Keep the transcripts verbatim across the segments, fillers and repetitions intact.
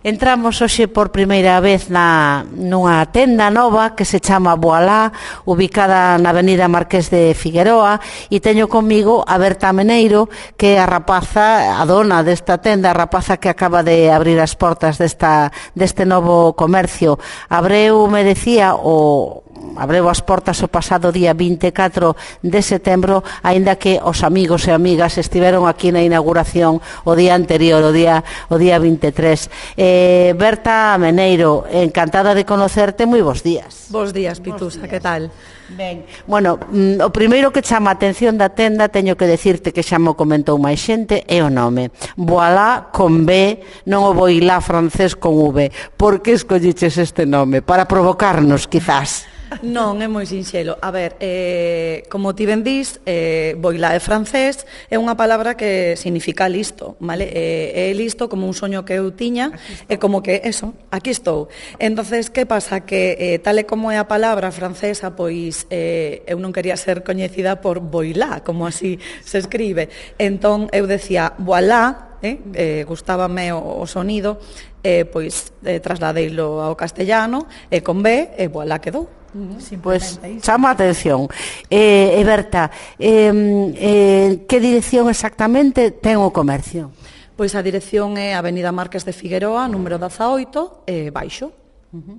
Entramos hoxe por primeira vez na, nunha tenda nova que se chama Voilá, ubicada na avenida Marqués de Figueroa, e teño comigo a Berta Meneiro, que é a rapaza, a dona desta tenda, a rapaza que acaba de abrir as portas desta, deste novo comercio. Abreu, me decía, o abreu as portas o pasado día vinte e catro de setembro, aínda que os amigos e amigas estiveron aquí na inauguración o día anterior, o día, o día vinte e tres. Eh, Berta Meneiro, encantada de conocerte, moi bons días. Bos días, Pitusa, que tal? Ben, bueno, mm, o primeiro que chama a atención da tenda, teño que decirte que xa mo comentou máis xente, é o nome. Voilá con B, non o Voilá francés con V. Por que escolliches este nome? Para provocarnos, quizás. Non, é moi sinxelo. A ver, eh, como ti ben dís, eh, Voilá é francés, é unha palabra que significa listo, vale? Eh, é listo como un soño que eu tiña, é como que, eso, aquí estou. Entonces, que pasa? Que eh, tal e como é a palabra francesa, pois eh, eu non quería ser coñecida por Voilá, como así se escribe. Entón, eu decía, Voilá, eh, eh, gustábame o, o sonido, eh, pois eh, trasladeilo ao castellano, e con B, e Voilá quedou. Pois pues, chama a atención. eh, e Berta, eh, eh, que dirección exactamente ten o comercio? Pois a dirección é Avenida Marqués de Figueroa, número dezaoito, e baixo. Uh-huh.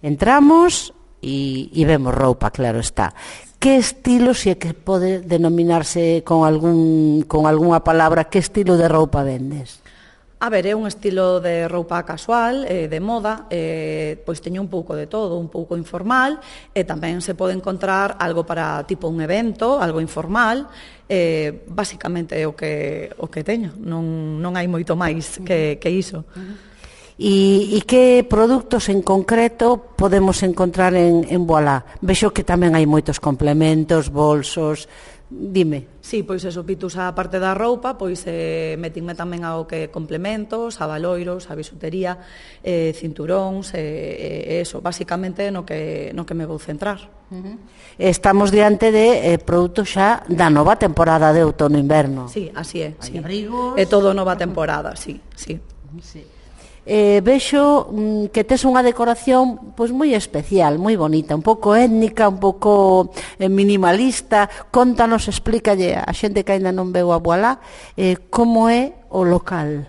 Entramos e, e vemos roupa, claro está. Que estilo, se é que pode denominarse con algún con algunha palabra, que estilo de roupa vendes? A ver, é un estilo de roupa casual, eh, de moda, eh, pois teño un pouco de todo, un pouco informal, e tamén se pode encontrar algo para tipo un evento, algo informal, eh, basicamente é o que, o que teño, non, non hai moito máis que, que iso. E, e que produtos en concreto podemos encontrar en, en Voilá? Vexo que tamén hai moitos complementos, bolsos, dime. Sí, pois eso, Pitus, a parte da roupa, pois eh, metinme tamén ao que complementos, a valoiros, a bisutería, eh, cinturóns, eh, eh, eso, basicamente no que, no que me vou centrar. Uh-huh. Estamos diante de eh, produtos xa da nova temporada de outono-inverno. Sí, así é. Sí. Abrigos. É todo nova temporada, sí, sí. Sí. Eh, vexo mm, que tes unha decoración pois moi especial, moi bonita, un pouco étnica, un pouco eh, minimalista. Contanos, explícalle a xente que aínda non veu a Voilá eh, como é o local,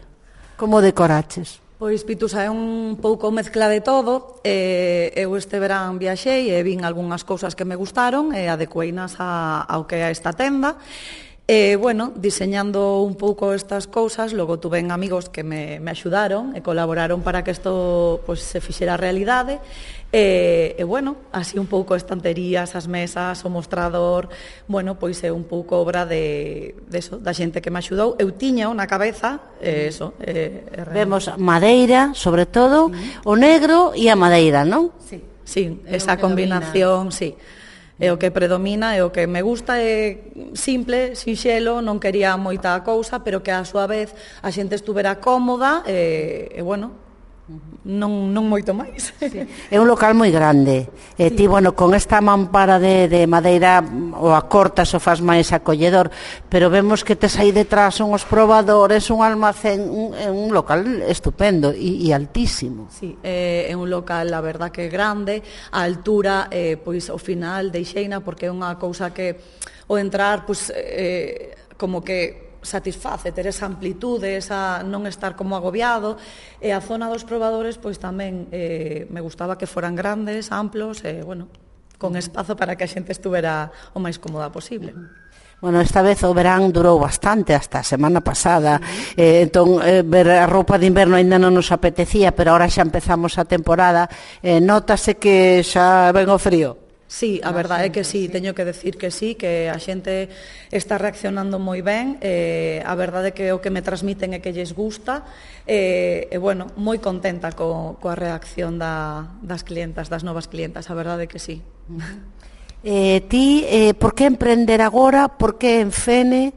como decoraches. Pois, Pitusa, é un pouco mezcla de todo. eh, eu este verán viaxei e vin algunhas cousas que me gustaron e adecueinas a, ao que é esta tenda. E, bueno, diseñando un pouco estas cousas, logo tuven amigos que me, me axudaron e colaboraron para que isto pues, se fixera realidade. E, e, bueno, así un pouco estanterías, as mesas, o mostrador, bueno, pois é un pouco obra de, de eso, da xente que me axudou. Eu tiña na cabeza, e eso. E, e Vemos madeira, sobre todo, sí. O negro e a madeira, non? Sí, sí, esa combinación, sí. É o que predomina, é o que me gusta, é simple, sinxelo, non quería moita cousa, pero que a súa vez a xente estuvera cómoda e, e bueno, non, non moito máis. Sí. É un local moi grande. E sí. Ti, bueno, con esta mampara de, de madeira o acortas o faz máis acolledor, pero vemos que tes aí detrás unhos probadores, un almacén, un, un local estupendo e, e altísimo. Sí, é, é un local, a verdad, que é grande, a altura, eh, pois, ao final, deixeina, porque é unha cousa que, ao entrar, pois, eh, como que satisface ter esa amplitude, esa non estar como agobiado, e a zona dos probadores pois tamén eh, me gustaba que foran grandes, amplos e, bueno, con espazo para que a xente estuvera o máis cómoda posible. Bueno, esta vez o verán durou bastante, hasta a semana pasada, sí. eh, entón eh, ver a roupa de inverno ainda non nos apetecía, pero ahora xa empezamos a temporada, eh, notase que xa ven o frío. Sí, a verdade é que sí, teño que decir que sí, que a xente está reaccionando moi ben, eh, a verdade é que o que me transmiten é que lles gusta, e, eh, bueno, moi contenta co, coa reacción da, das clientas, das novas clientas, a verdade é que sí. Eh, ti, eh, por que emprender agora, por que en Fene,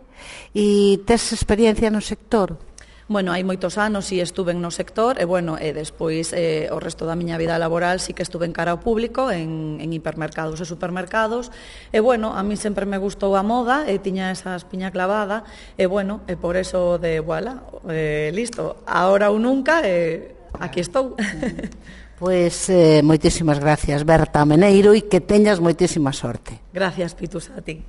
e tes experiencia no sector? Bueno, hai moitos anos e estuve no sector e, bueno, e despois eh, o resto da miña vida laboral sí que estuve en cara ao público, en, en hipermercados e supermercados e, bueno, a mí sempre me gustou a moda e tiña esa espiña clavada e, bueno, e por eso de, voilà, eh, listo, ahora ou nunca e aquí estou. Pois eh, moitísimas gracias, Berta Meneiro, e que teñas moitísima sorte. Gracias, Pitus, a ti.